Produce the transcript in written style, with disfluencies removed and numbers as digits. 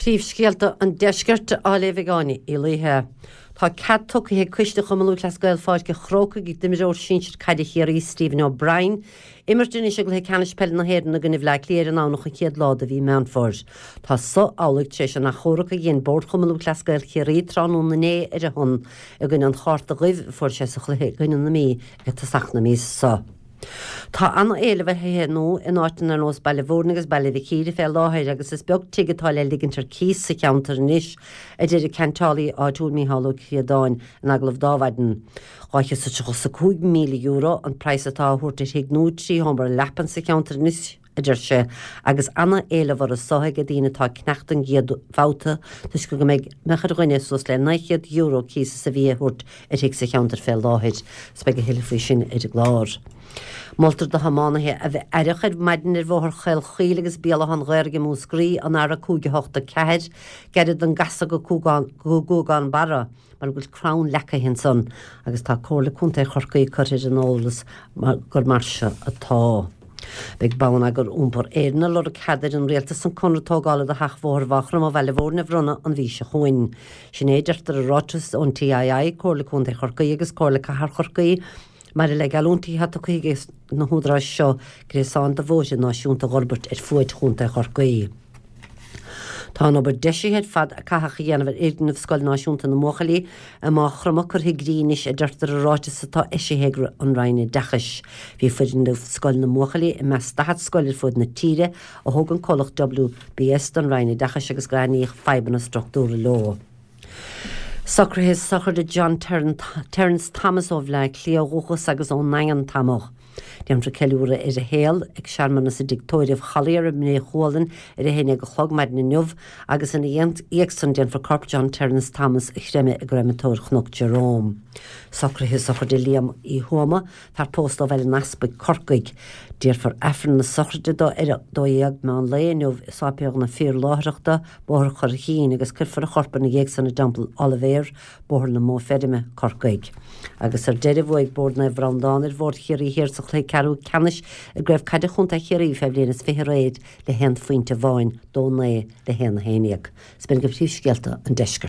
Príomhscéalta an Deiscirt á léamh ag Áine Uí Laoithe. Tá cead tugtha ag Coiste Chumann Lúthchleas Gael Pháirc an Chrócaigh d'imreoir sinsir caide Chiarraí Stephen O'Brien imirt anois i gcluiche ceannais peile na hÉireann i gcoinne Bhaile Átha Cliath ar an nDomhnach an chéad lá de mhí Meán Fómhair. Tá so amhlaidh tar éis an achomharc a dhein Bord Chumann Lúthchleas Gael Chiarraí tráthnóna inné ar a shon i gcoinne an chárta dhuibh a fuair sé sa chluiche i gcoinne na Mí ag tosach na míosa so. Tá an-éileamh ar thithe nua in áiteanna ar nós Baile Mhúirne agus Baile Mhic Íre fé láthair agus is beag tigh atá le ligint ar cíos sa cheantar anois, a deir an ceantálaí áitiúil Micheál Ó Críodáin in agallamh d'Adhmhaidin. €235,000 an praghas atá á thabhairt ar thigh nua 3 sheomra leapan sa cheantar anois, a deir sé, agus ana-éileamh orthu so ag daoine atá ag cneacht don gcéad bhabhta toisc go mbeadh ar dhuine suas le €900 cíos sa mhí a thabhairt ar thigh sa cheantar fé láthair. 'S beidh a thuilleadh faoi sin ar an gclár. Moltar do thiománaithe a bheith aireach ar maidin ar Bhóthar Chaol Chaoil agus Béal Átha an Ghaorthaidh i Múscraí, an R5 8 4, gairid don gcasadh go Guagán Barra. mar go bhfuil crann leagtha ansan agus tá Comhairle Contae Chorcaí curtha ar an eolas gur mar seo atá. Beidh Bonneagar Iompair Éireann ag lorg cead ar an Rialtas an conradh tógála do sheachbhóthar Mhaigh Chromtha Bhaile Mhúirne a bhronnadh an mhí seo chugainn. Sin é a deirtear i ráiteas ón TII, Comhairle Contae Chorcaí agus Comhairle Cathair Chorcaí maidir le geallúintí atá tugtha ag na húdaráis seo gréasán de bhóithre náisiúnta a dh'fhorbairt ar fuaid Chontae Chorcaí. Tá an obair deisithe ar fad a caitheadh a dhéanamh ar fhoirgneamh Scoil Náisiúnta na mBuachaillí i Maigh Chromtha curtha i gcrích anois, a deirtear i ráiteas atá eisithe ag an Roinn Oideachais. Bhí foirgneamh Scoil na mBuachaillí i measc 40 scoil ar fuaid na tíre a thóg an comhlacht WBS don Roinn Oideachais agus gur aithníodh fadhbanna struchtúrtha leo. Socruithe sochraide John Terence Thomas ó Bhleá Cliath ó dhúchas agus ón nDaingean tamall. Déanfar ceiliúradh ar a shaol ag searmanas i dTigh Tórraimh Chollier i mBré Chualann ar a haon déag a chlog maidin inniu agus ina dhiaidh san déanfar corp John Terence Thomas a chreimeadh i gcreimeatóir Chnoc Jerome. Socruithe sochraide Liam Uí Thuama, fear pósta ó Bhaile an Easpaig, Corcaigh. Déarfar Aifreann na sochraide dó ar a 12 meán lae inniu i Sáipéal na Fíorláithreachta, Bóthar Churraichín, agus cuirfear a chorp ina dhiaidh san i dTeampall Oilibhéir, Bóthar na Móna Feirme, Corcaigh. Agus ar deireadh, bhuaigh Bord Naomh Breandán ar Bhord Chiarraí Thiar sa chluiche ceathrú ceannais i gCraobh Caide Chontae Chiarraí fé bhliain is 20 aréir le haon phointe amháin, 2 9 le 1 11. 'S b'in iad príomhscéalta an deiscirt.